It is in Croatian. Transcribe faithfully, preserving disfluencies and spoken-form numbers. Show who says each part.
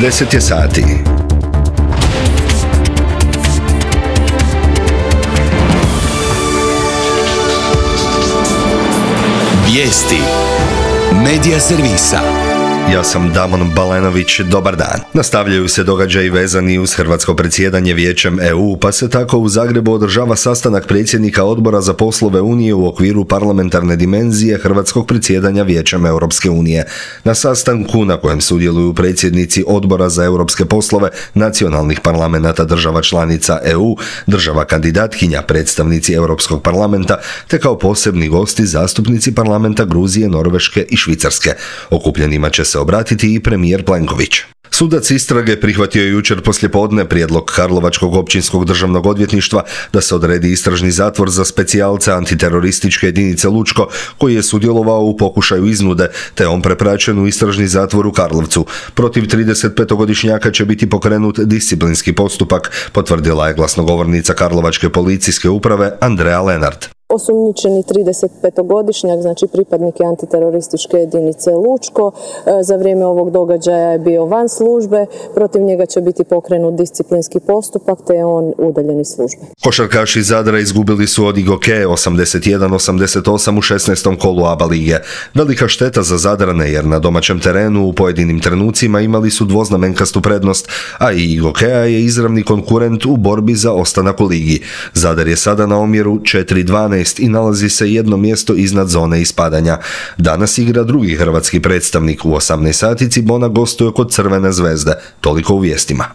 Speaker 1: deset je sati.
Speaker 2: Vijesti Medija servisa.
Speaker 1: Ja sam Damon Balenović, dobar dan. Nastavljaju se događaji vezani uz hrvatsko predsjedanje Vijećem E U, pa se tako u Zagrebu održava sastanak predsjednika Odbora za poslove Unije u okviru parlamentarne dimenzije hrvatskog predsjedanja Vijećem Europske unije. Na sastanku, na kojem sudjeluju predsjednici Odbora za europske poslove nacionalnih parlamenata država članica E U, država kandidatkinja, predstavnici Europskog parlamenta, te kao posebni gosti zastupnici parlamenta Gruzije, Norveške i Švicarske. Okupljenima će se obratiti i premijer Plenković. Sudac istrage prihvatio je jučer poslijepodne prijedlog Karlovačkog općinskog državnog odvjetništva da se odredi istražni zatvor za specijalca antiterorističke jedinice Lučko, koji je sudjelovao u pokušaju iznude, te on prepraćen u istražni zatvor u Karlovcu. Protiv tridesetpetogodišnjaka će biti pokrenut disciplinski postupak, potvrdila je glasnogovornica Karlovačke policijske uprave Andrea Lenart.
Speaker 3: Osumnjičeni tridesetpetogodišnjak, znači pripadnik antiterorističke jedinice Lučko, za vrijeme ovog događaja je bio van službe, protiv njega će biti pokrenut disciplinski postupak, te je on udaljen iz službe.
Speaker 1: Košarkaši Zadra izgubili su od Igoke osamdeset jedan osamdeset osam u šesnaestom kolu A B A lige. Velika šteta za Zadrane, jer na domaćem terenu u pojedinim trenucima imali su dvoznamenkastu prednost, a i Igokea je izravni konkurent u borbi za ostanak u ligi. Zadar je sada na omjeru četiri dvanaest i nalazi se jedno mjesto iznad zone ispadanja. Danas igra drugi hrvatski predstavnik. U osamnaest sati Cibona gostuje kod Crvene zvezde. Toliko u vijestima.